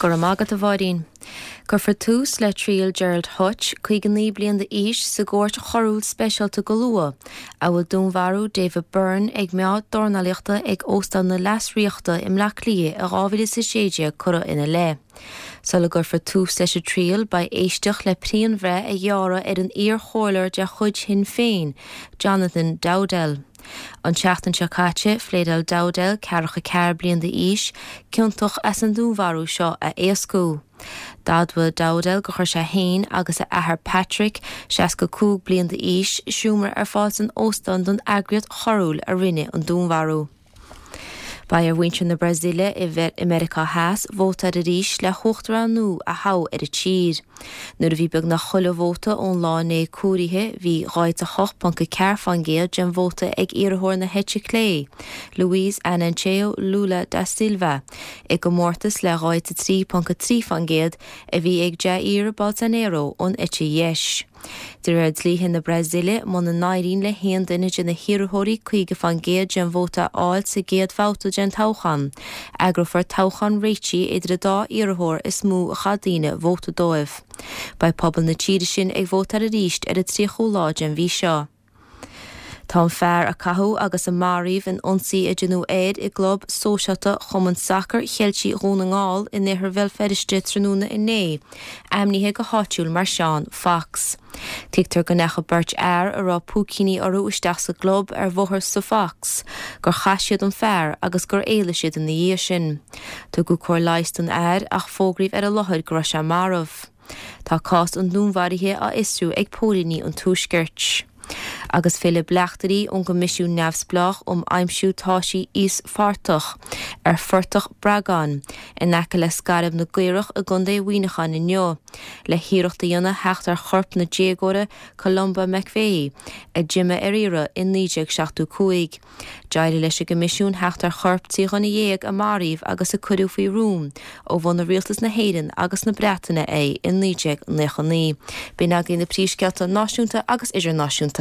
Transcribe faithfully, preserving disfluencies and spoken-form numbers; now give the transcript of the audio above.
Go raibh maith agat, a Mháirín. Cuirfear tús le triail Gerald Hutch, caoga naoi bliain d'aois, sa gcúirt choiriúil speisialta go luath, a bhfuil dúnmharú David Byrne ag meá dornálaíochta ag Óstán na Leasríochta i mBleá Cliath i dhá mhíle is a sé déag curtha ina leith. Sula gcuirfear tús leis an triail, beidh éisteacht le pianbhreith a ghearradh ar an iar-chomhairleoir de chuid Shinn Féin, Jonathan Dowdall. An tseachtain seo caite, phléadáil Dowdall, ceathracha ceathair bliain d'aois, ciontach as an dúnmharú seo a éascú. D'admhaigh Dowdall gur chuir sé féin agus a athair Patrick, seasca cúig bliain d'aois, seomra ar fáil san óstán don eagraíocht choiriúil a rinne an dúnmharú. Beidh ar mhuintir na Brasaíle i Meiriceá Theas vótáil arís le huachtarán nua a thoghadh ar an tír. Nuair a bhí beagnach chuile vóta ón lá inné comhairithe, bhí dhá fhichead a hocht ponc a ceathair faoin gcéad den vóta ag iarrthóir na heite clé, Luiz Inácio Lula da Silva, i gcomórtas le dhá fhichead a trí ponc a trí faoin gcéad a bhí ag Jair Bolsonaro ón eite dheis. De réir dlíthe na Brasaíle, muna n-éiríonn le haon duine de na hiarrthóirí caoga faoin gcéad den vóta a fháil sa gcéad bhabhta den toghchán, eagrófar toghchán réitigh idir an dá iarrthóir is mó a chaith daoine vóta dóibh. Beidh pobal na tíre sin ag vótáil arís ar an tríochú lá den mhí seo. Tá an fear a caitheadh agus a maraíodh in ionsaí a deineadh air i gclub sóisialta Chumann Sacair Cheiltigh Dhún na nGall in oirthear Bhéal Feirste tráthnóna inné, ainmnithe go háitiúil mar Seán Fox. Tuigtear go ndeachaigh beirt fhear a raibh púicíní orthu isteach sa gclub ar Bhóthar sa Fox, gur chaith siad an fear agus gur éalaigh siad ina dhiaidh sin. Tugadh cóir leighis don fhear ach fógraíodh ar an láthair go raibh sé marbh. Tá cás an dúnmharaithe á fhiosrú ag póilíní an Tuaiscirt. Agus filleadh bleachtairí ón gCoimisiún Neamhspleách um Aimsiú Taisí Íospartach ar Phortach Breagáin in aice le Scairbh na gCaorach i gContae Mhuineacháin inniu le hiarracht a dhéanamh theacht ar chorp na déagóra Columba McVeigh a d'imigh ar iarraidh i naoi déag seachtó cúig. D'éirigh leis an gCoimisiún theacht ar chorp trí dhuine dhéag a maraíodh agus a cuireadh faoi rún ó bhunaigh rialtas na hÉireann agus na Breataine é i naoi déag naocha naoi. B'in agaibh na príomhscéalta náisiúnta agus idirnáisiúnta.